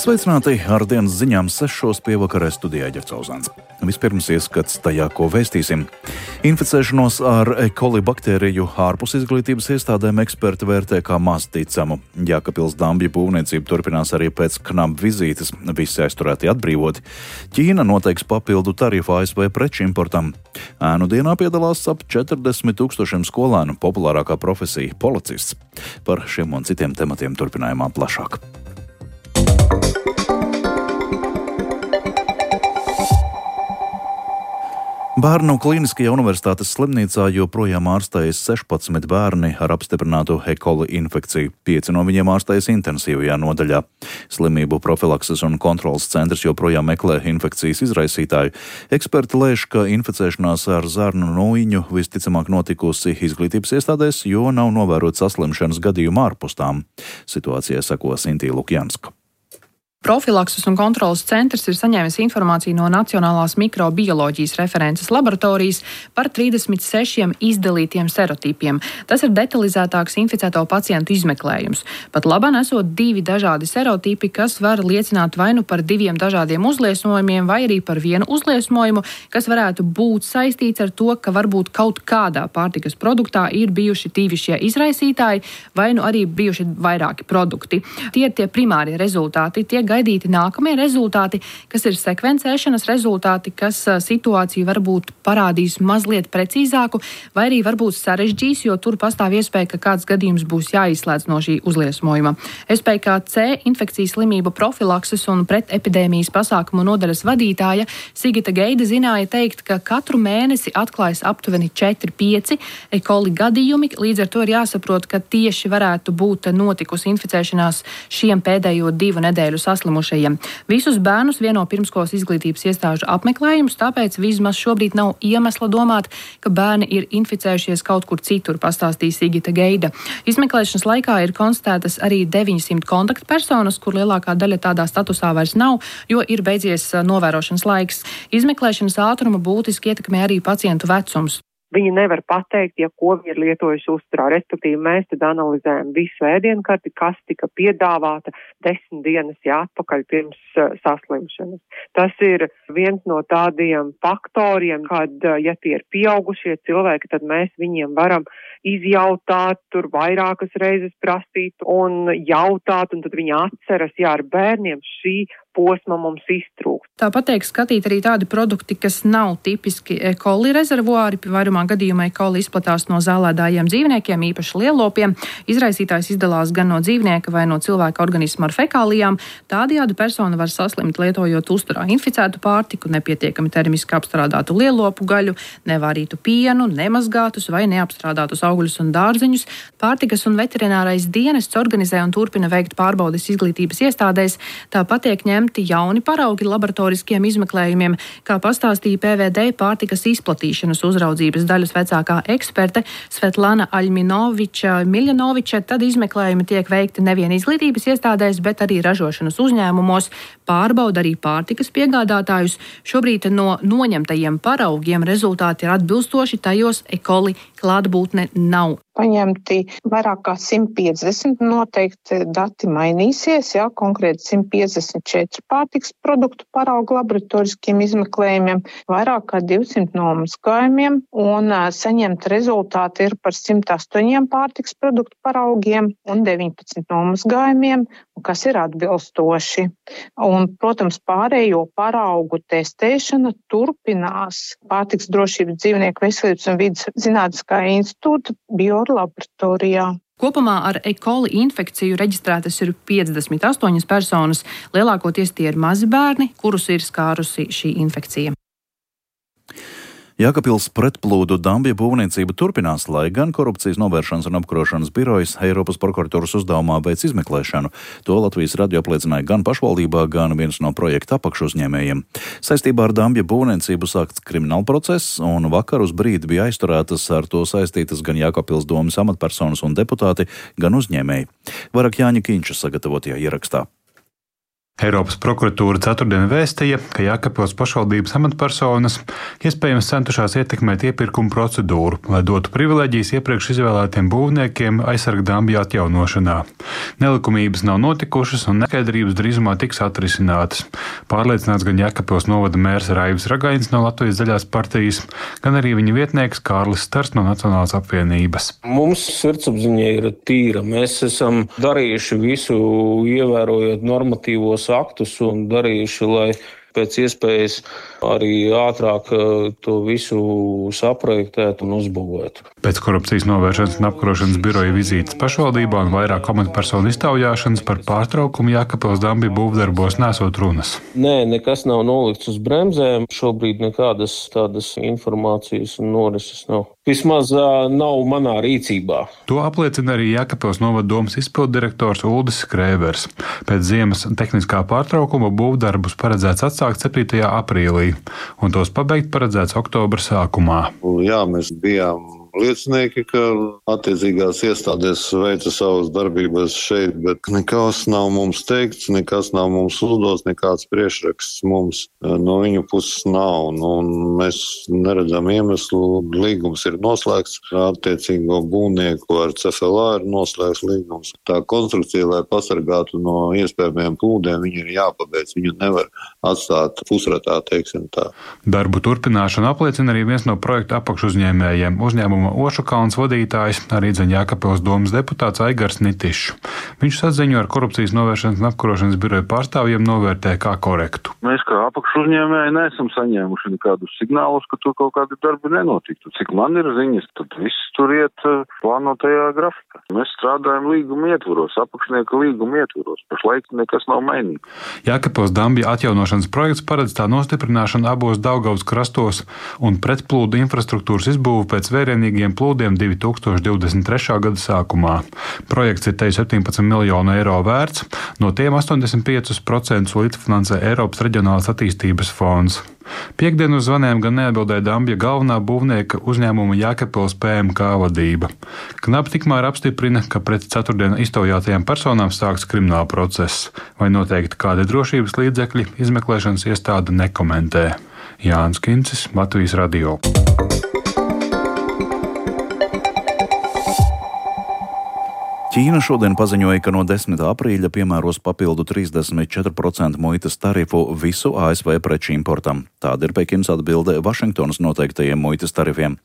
Sveicināti ar dienas ziņām 6 pievakarē studijā Ģercauzāns. Vispirms ieskats tajā, ko vēstīsim. Inficēšanos ar E. coli baktēriju ārpus izglītības iestādēm eksperti vērtē kā maz ticamu. Jēkabpils Dambja būvniecība turpinās arī pēc KNAB vizītes. Visi aizturēti atbrīvoti. Ķīna noteiks papildu tarifu ASV preču importam. Ēnu dienā piedalās ap 40,000 skolēnu, populārākā profesija - policists. Par šiem un citiem tematiem turpinājumā plašāk. Bērnu klīniskajā universitātes slimnīcā joprojām ārstējas 16 bērni ar apstiprinātu E. coli infekciju. 5 no viņiem ārstējas intensīvajā nodaļā. Slimību profilakses un kontrolas centrs joprojām meklē infekcijas izraisītāju. Eksperti lēš, ka inficēšanās ar zarnu nūjiņu visticamāk notikusi izglītības iestādēs, jo nav novērot saslimšanas gadījumu ārpus tām. Situācijai seko Sintīna Lukjanska. Profilakses un kontrolas centrs ir saņēmis informāciju no Nacionālās mikrobioloģijas references laboratorijas par 36 izdalītiem serotipiem. Tas ir detalizētāks inficēto pacientu izmeklējums. Pat labāk esot 2 dažādi serotipi, kas var liecināt vai nu par 2 dažādiem uzliesmojumiem, vai arī par vienu uzliesmojumu, kas varētu būt saistīts ar to, ka varbūt kaut kādā pārtikas produktā ir bijuši 2 šie izraisītāji, vai nu arī bijuši vairāki produkti. Tie ir tie primārie rezultāti. Tiek gaidīti nākamie rezultāti, kas ir sekvencēšanas rezultāti, kas situāciju varbūt parādīs mazliet precīzāku, vai arī varbūt sarežģīs, jo tur pastāv iespēja, ka kāds gadījums būs jāizslēdz no šī uzliesmojuma. SPKC infekcijas slimību profilakses un pretepidēmijas pasākumu nodaļas vadītāja Sigita Geida zināja teikt, ka katru mēnesi atklājas aptuveni 4-5 E. coli gadījumi, līdz ar to ir jāsaprot, ka tieši varētu būt notikusi inficēšanās šiem pēdējo 2 nedēļu saslimušajiem. Visus bērnus vieno pirmskolas izglītības iestāžu apmeklējums, tāpēc vismaz šobrīd nav iemesla domāt, ka bērni ir inficējušies kaut kur citur, pastāstīja Sigita Geida. Izmeklēšanas laikā ir konstatētas arī 900 kontaktpersonas, kur lielākā daļa tādā statusā vairs nav, jo ir beidzies novērošanas laiks. Izmeklēšanas ātrumu būtiski ietekmē arī pacientu vecums. Viņi nevar pateikt, ja ko viņi ir lietojuši uzturā. Respektīvi, mēs tad analizējam visu ēdienkarti, kas tika piedāvāta 10 dienas atpakaļ pirms saslimšanas. Tas ir viens no tādiem faktoriem, kad, ja tie ir pieaugušie cilvēki, tad mēs viņiem varam izjautāt, tur vairākas reizes prasīt un jautāt, un tad viņi atceras, ja ar bērniem šī posma mums iztrūkst. Tāpat tiek skatīt arī tādi produkti, kas nav tipiski E. coli rezervuāri. Vairumā gadījumā E. coli izplatās no zālēdājiem dzīvniekiem, īpaši lielopiem. Izraisītājs izdalās gan no dzīvnieka vai no cilvēka organisma ar fekālijām. Tādējādi persona var saslimt lietojot uzturā inficētu pārtiku, nepietiekami termiski apstrādātu lielopu gaļu, nevārītu pienu, nemazgātus vai neapstrādātus augļus un dārzeņus. Pārtikas un veterinārais dienests organizē un turpina veikt pārbaudes izglītības iestādēs. Tāpat tiek ņemti jauni paraugi laboratoriskiem izmeklējumiem, kā pastāstīja PVD pārtikas izplatīšanas uzraudzības daļas vecākā eksperte Svetlana Aļminoviča. Tad izmeklējumi tiek veikti nevien izglītības iestādēs, bet arī ražošanas uzņēmumos, pārbauda arī pārtikas piegādātājus. Šobrīd no noņemtajiem paraugiem rezultāti ir atbilstoši, tajos E. coli klātbūtne nav. Paņemti vairāk kā 150, noteikti dati mainīsies, konkrēti 154 pārtiks produktu paraugu laboratoriskiem izmeklējumiem, vairāk kā 200 nomazgājumiem, un saņemt rezultāti ir par 108 pārtiks produktu paraugiem un 19 nomazgājumiem, kas ir atbilstoši. Un, protams, pārējo paraugu testēšana turpinās Pārtiks drošības dzīvnieku veselības un vides zinātniskā institūta biolaboratorijā. Kopumā ar E. coli infekciju reģistrētas ir 58 personas. Lielākoties tie ir mazi bērni, kurus ir skārusi šī infekcija. Jēkabpils pretplūdu Dambja būvniecība turpinās, lai gan Korupcijas novēršanas un apkarošanas birojas Eiropas prokuratūras uzdevumā veic izmeklēšanu. To Latvijas radio apliecināja gan pašvaldībā, gan viens no projekta apakšuzņēmējiem. Saistībā ar Dambja būvniecību sākts krimināla process, un vakar uz brīdi bija aizturētas ar to saistītas gan Jēkabpils domes amatpersonas un deputāti, gan uzņēmēji. Vairāk Jāņa Kīņša sagatavotajā ierakstā. Eiropas prokuratūra ceturtdien vēstīja, ka Jēkabpils pašvaldības amatpersonas iespējams centušās ietekmēt iepirkuma procedūru, lai dotu privileģijas iepriekš izvēlētiem būvniekiem aizsarga dambja atjaunošanā. Nelikumības nav notikušas un neskaidrības drīzumā tiks atrisinātas. Pārliecināts gan Jēkabpils novada mērs Raivis Ragainis no Latvijas zaļās partijas, gan arī viņa vietnieks Kārlis Stars no Nacionālās apvienības. Mums sirdsapziņa ir tīra. Mēs esam darījuši visu, ievērojot normatīvos aktus un darījuši, lai pēc iespējas arī ātrāk to visu saprojektētu un uzbūvētu. Pēc korupcijas novēršanas un apkarošanas biroja vizītes pašvaldībā un vairāk amatpersonu iztaujāšanas par pārtraukumu Jēkabpils dambja būvdarbos nesot runas. Nē, nekas nav nolikts uz bremzēm. Šobrīd nekādas tādas informācijas un norises nav. Vismaz nav manā rīcībā. To apliecina arī Jēkabpils novada domes izpilddirektors Uldis Skrēvers. Pēc ziemas tehniskā pārtraukuma būvdarbus paredzēts atsākt 7. aprīlī, un tos pabeigt paredzēts oktobra sākumā. Jā, mēs bijām liecinieki, ka attiecīgās iestādes veica savas darbības šeit, bet nekas nav mums teikts, nekas nav mums uzdots, nekāds priekšraksts mums no viņu puses nav. Mēs neredzam iemeslu, līgums ir noslēgts, attiecīgo būvnieku ar CFLA ir noslēgts līgums. Tā konstrukcija, lai pasargātu no iespējamiem plūdiem, viņa ir jāpabeidz, viņu nevar atstāt pusratā, teiksim tā. Darbu turpināšanu apliecina arī viens no projekta apakšuzņēmējiem, uzņēmuma Ošakalns vadītājs, arī Jēkabpils domes deputāts Aigars Nitišs. Viņš saziņu ar korupcijas novēršanas un apkarošanas biroja pārstāvjiem novērtē kā korektu. Mēs kā apakšuzņēmēji neesam saņēmuši nekādus signālus, ka tur kaut kādi darbi nenotiktu. Cik man ir ziņas, tad viss tur iet plānotajā grafikā. Mēs strādājam līguma ietvaros, apakšnieka līguma ietvaros. Pašlaik nekas nav mainīts. Jēkabpils dambja atjaunošanas projekts paredz tā nostiprināšanu abos Daugavas krastos un pretplūdu infrastruktūras izbūvu pēc vērienīgiem plūdiem 2023. gada sākumā. Projekts ir te 17 miljonu eiro vērts, no tiem 85% līdzfinansē Eiropas reģionālās attīstības fonds. Piektdien uz zvaniem gan neatbildēja dambja galvenā būvnieka uzņēmuma Jēkabpils PMK vadība. Knapi tikmēr apstiprina, ka pret ceturtdien iztaujātajām personām sāks krimināla process, vai noteikti kādi drošības līdzekļi izmeklēšanas iestāde nekomentē. Jānis Kincis, Latvijas radio. Ķīna šodien paziņoja, ka no 10. aprīļa piemēros papildu 34% muitas tarifu visu ASV preču importam. Tāda ir Pekinas atbilde Vašingtonas noteiktajiem muitas tarifiem.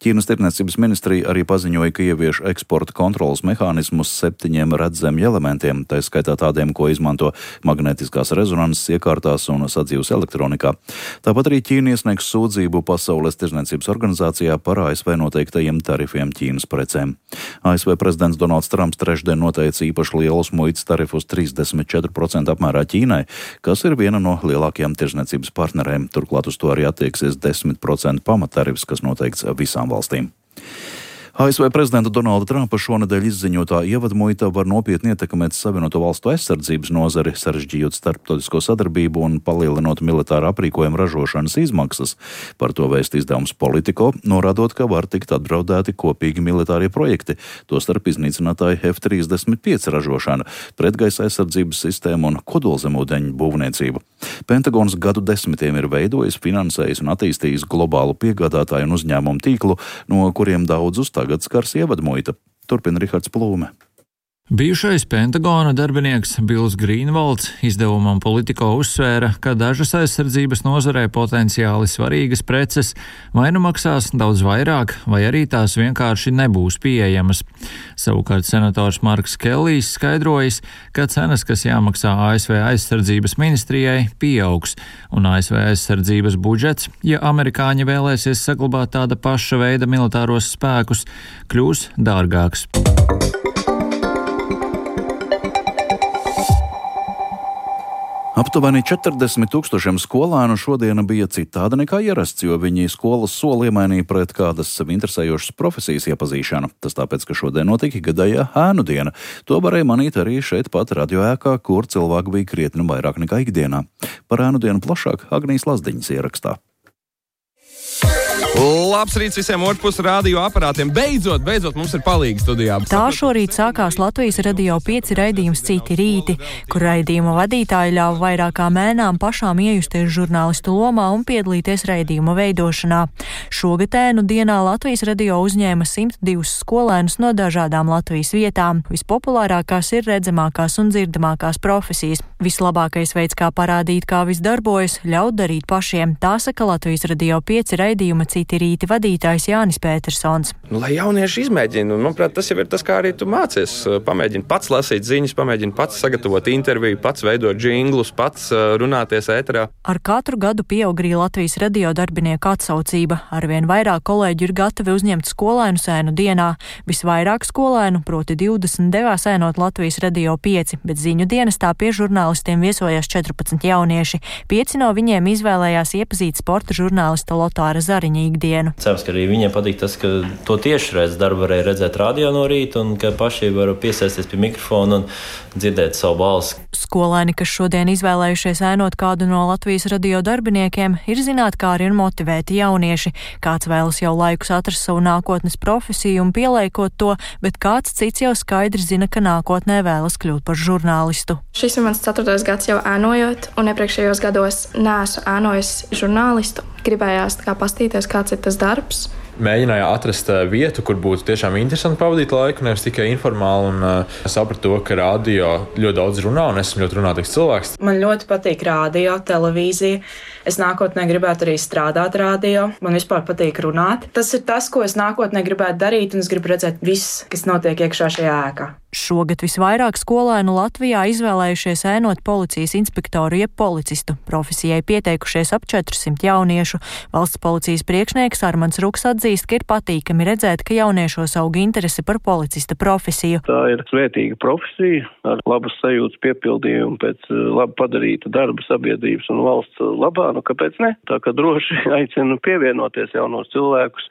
Ķīnas tirdzniecības ministrija arī paziņoja, ka ievieš eksporta kontrolas mehānismus 7 redzamiem elementiem, tā skaitā tādiem, ko izmanto magnetiskās rezonanses iekārtās un sadzīves elektronikā. Tāpat arī Ķīna iesniegs sūdzību Pasaules tirdzniecības organizācijā par ASV noteiktajiem tarifiem Ķīnas precēm. ASV prezidents Donalds Trumps trešdien noteica īpaši lielus muitas tarifus 34% apmērā Ķīnai, kas ir viena no lielākajām tirdzniecības partnerēm. Turklāt uz to arī attieksies 10% pamattarifs, kas noteikts visām valstīm. ASV prezidenta Donalda Trumpa šonedēļ izziņotā ievadmuita var nopietni ietekmēt Savienoto Valstu aizsardzības nozari, sarežģījot starptautisko sadarbību un palielinot militāra aprīkojuma ražošanas izmaksas. Par to vēst izdevums Politico, norādot, ka var tikt apdraudēti kopīgi militārie projekti, tostarp iznīcinātāji F-35 ražošana, pretgaisa aizsardzības sistēma un kodolzemūdeņu būvniecība. Pentagons gadu desmitiem ir veidojis, finansējis un attīstījis globālu piegādātāju un uzņēmumu tīklu, no kuriem daudzus tagad skars ievadmuita. Turpina Rihards Plūme. Bijušais Pentagona darbinieks Bills Grīnvalds izdevumam Politico uzsvēra, ka dažas aizsardzības nozarē potenciāli svarīgas preces vai nu maksās daudz vairāk, vai arī tās vienkārši nebūs pieejamas. Savukārt senators Marks Kellijs skaidrojis, ka cenas, kas jāmaksā ASV aizsardzības ministrijai, pieaugs, un ASV aizsardzības budžets, ja amerikāņi vēlēsies saglabāt tāda paša veida militāros spēkus, kļūs dārgāks. Aptuveni 40,000 skolēnu šodien bija citādi nekā ierasts, jo viņi skolas soli iemainīja pret kādas sev interesējošas profesijas iepazīšanu. Tas tāpēc, ka šodien notika gadējā ēnu diena. To varēja manīt arī šeit pat radioēkā, kur cilvēku bija krietni vairāk nekā ikdienā. Par ēnu dienu plašāk Agnijas Lazdiņas ierakstā. labs rīts visiem otrpus radio aparātiem. Beidzot mums ir palīgi studijā. Tā šorīt sākās Latvijas Radio 5 raidījums Citi rīti, kur raidījuma vadītāji ļāva vairākām mēnām pašām iejusties žurnālistu lomā un piedalīties raidījuma veidošanā. Šogad ēnu dienā Latvijas radio uzņēma 102 skolēnus no dažādām Latvijas vietām. Vispopulārākās ir redzamākās un dzirdamākās profesijas. Vislabākais veids, kā parādīt, kā viss darbojas, ļaut darīt pašiem. Tā saka Latvijas Radio 5 raidījuma Citi rīti vadītājs Jānis Pētersons. Lai jaunieši izmēģina, manuprāt, tas jau ir tas, kā arī tu mācies. Pamēģini pats lasīt ziņas, pamēģini pats sagatavot interviju, pats veidot džinglus, pats runāties ēterā. Ar katru gadu pieaug arī Latvijas radio darbinieku atsaucība. Arvien vairāk kolēģi ir gatavi uzņemt skolēnu ēnu dienā. Visvairāk skolēnu, proti 20, devās ēnot Latvijas Radio 5, bet ziņu dienestā pie žurnālistiem viesojās 14 jaunieši. 5 no viņiem izvēlējās iepazīt sporta žurnālista Lotāra Zariņa ikdienu. Cerams, ka arī viņiem patīk tas, ka to tiešraidzi darbu varēja redzēt radio no rīta un ka paši var piesēsties pie mikrofona un dzirdēt savu balsi. Skolēni, kas šodien izvēlējušies ēnot kādu no Latvijas radio darbiniekiem, ir zinātkāri un motivēti jaunieši. Kāds vēlas jau laikus atrast savu nākotnes profesiju un pieliekot to, bet kāds cits jau skaidri zina, ka nākotnē vēlas kļūt par žurnālistu. Šis ir mans 4. gads jau ēnojot, un iepriekšējos gados neesmu ēnojis žurnālistu. Gribējās pastīties, kāds ir tas darbs. Mēģināju atrast vietu, kur būtu tiešām interesanti pavadīt laiku, nevis tikai informāli, un sapratu to, ka radio ļoti daudz runā, un esmu ļoti runātīgs cilvēks. Man ļoti patīk radio, televīzija. Es nākotnē gribētu arī strādāt radio. Man vispār patīk runāt. Tas ir tas, ko es nākotnē gribētu darīt, un es gribu redzēt viss, kas notiek iekšā šajā ēkā. Šogad visvairāk skolēnu Latvijā izvēlējušies ēnot policijas inspektoru jeb policistu. Profesijai pieteikušies ap 400 jauniešu. Valsts policijas priekšnieks Armands Ruks atzīst, ka ir patīkami redzēt, ka jauniešos aug interese par policista profesiju. Tā ir svētīga profesija ar labas sajūtas piepildījumu pēc labi padarīta darba sabiedrības un valsts labā. Kāpēc ne? Tā kā droši aicinu pievienoties jaunos cilvēkus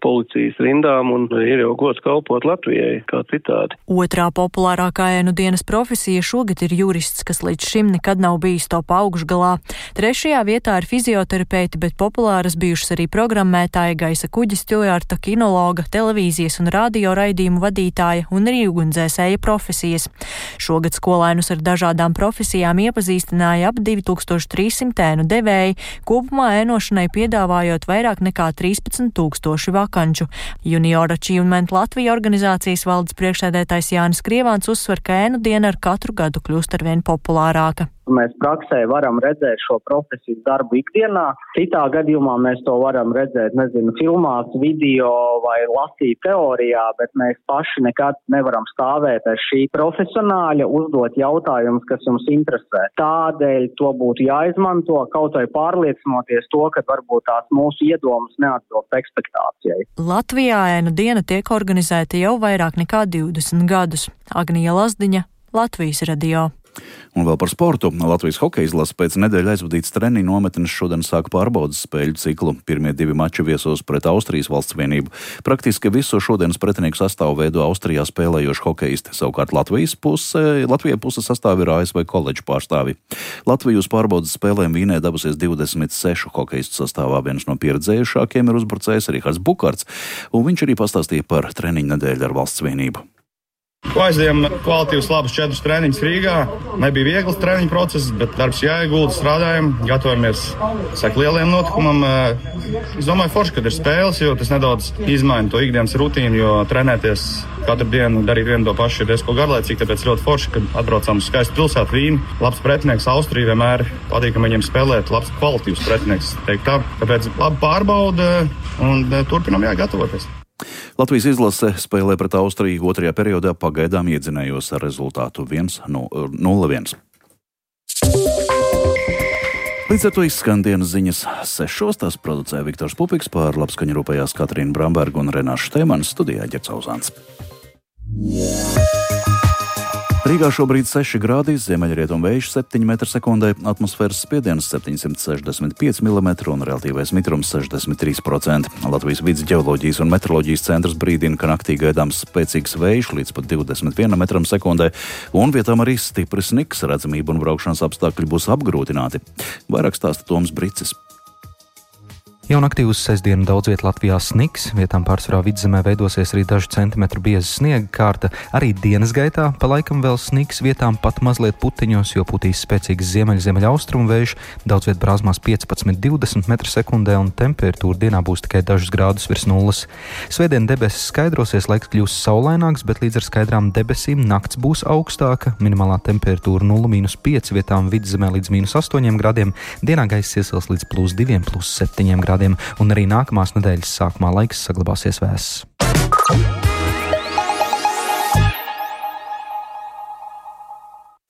policijas rindām un ir jau gods kalpot Latvijai kā citādi. Otrā populārākā ēnu dienas profesija šogad ir jurists, kas līdz šim nekad nav bijis top augšgalā. 3. vietā ir fizioterapeiti, bet populāras bijušas arī programmētāja, gaisa kuģa stjuarta, kinologa, televīzijas un radio raidījumu vadītāja un arī ugunsdzēsēja profesijas. Šogad skolēnus ar dažādām profesijām iepazīstināja ap 2300 ēnu devēji, kopumā ēnošanai piedāvājot vairāk nekā 13,000 vakanču. Junior Achievement Latvija organizācijas valdes priekšsēdētājs Jānis Krievāns uzsver, ka ēnu diena ar katru gadu kļūst arvien populārāka. Mēs praksē varam redzēt šo profesijas darbu ikdienā. Citā gadījumā mēs to varam redzēt, filmās, video vai lasīt teorijā, bet mēs paši nekad nevaram stāvēt aiz šī profesionāļa, uzdot jautājumus, kas jums interesē. Tādēļ to būtu jāizmanto, kaut vai pārliecinoties to, ka varbūt tās mūsu iedomas neatbilst ekspektācijai. Latvijā ēnu diena tiek organizēta jau vairāk nekā 20 gadus. Agnija Lazdiņa, Latvijas radio. Un vēl par sportu. Latvijas hokeja izlase pēc nedēļa aizvadītas treniņu nometnes šodien sāk pārbaudas spēļu ciklu. Pirmie 2 mači viesos pret Austrijas valsts vienību. Praktiski visu šodienas pretinieku sastāvu veido Austrijā spēlējoši hokeisti. Savukārt Latvijai puse sastāv ir ASV koledžu pārstāvi. Latviju uz pārbaudas spēlēm Vīnē devusies 26 hokeistu sastāvā. Viens no pieredzējušākiem ir uzbrucējs Rihards Bukarts, un viņš arī pastāstīja par treniņu nedēļu ar valsts vienību. Aizējām kvalitīvus labus 4 treniņus Rīgā. Nebija viegls treniņu process, bet darbs jāiegulda, strādājam, gatavojamies lieliem notikumam. Es domāju, forši, kad ir spēles, jo tas nedaudz izmaina to ikdienas rutīnu, jo trenēties katru dienu, darīt vienu to pašu ir diezko garlaicīgi, tāpēc ļoti forši, kad atbraucam uz skaistu pilsētu Vīni. Labs pretinieks Austrija vienmēr patīkam viņiem spēlēt, labs kvalitīvs pretinieks, teikt tā. Tāpēc labi pārbauda un turpinam gatavoties. Latvijas izlase spēlē pret Austriju 2. periodā pagaidām iedzinējos ar rezultātu 1-0-1. Līdz ar to izskan dienas ziņas 6. Tās producēja Viktors Pupiks, par labskaņu rūpējās Katrīna Bramberga un Renāša Šteimanis, studijā Ģerts Auzāns. Rīgā šobrīd 6 grādi, ziemeļrietumu vējš 7 m/sekundē, atmosfēras spiediens 765 mm un relatīvais mitrums 63%. Latvijas vidus ģeoloģijas un meteoroloģijas centrs brīdina, ka naktī gaidāms spēcīgs vējš līdz pat 21 m/sekundē, un vietām arī stiprs sniks, redzamība un braukšanas apstākļi būs apgrūtināti. Vairāk stāsta Toms Bricis. Jau naktī uz sestdienu daudz viet Latvijā sniks, vietām pārsvarā vidzemē veidosies arī dažu centimetru bieza sniega kārta. Arī dienas gaitā pa laikam vēl sniks, vietām pat mazliet puteņos, jo putīs spēcīgs ziemeļaustrumu vējš, daudz viet brāzmās 15–20 m/sekundē un temperatūra dienā būs tikai dažus grādus virs nulles. Svētdien debesis skaidrosies, laiks kļūs saulaināks, bet līdz ar skaidrām debesīm nakts būs augstāka, minimālā temperatūra 0–5, vietām vidzemē līdz -8 grādiem, dienā gaiss iesils līdz +2–7 grādiem. Un arī nākamās nedēļas sākumā laiks saglabāsies vēss.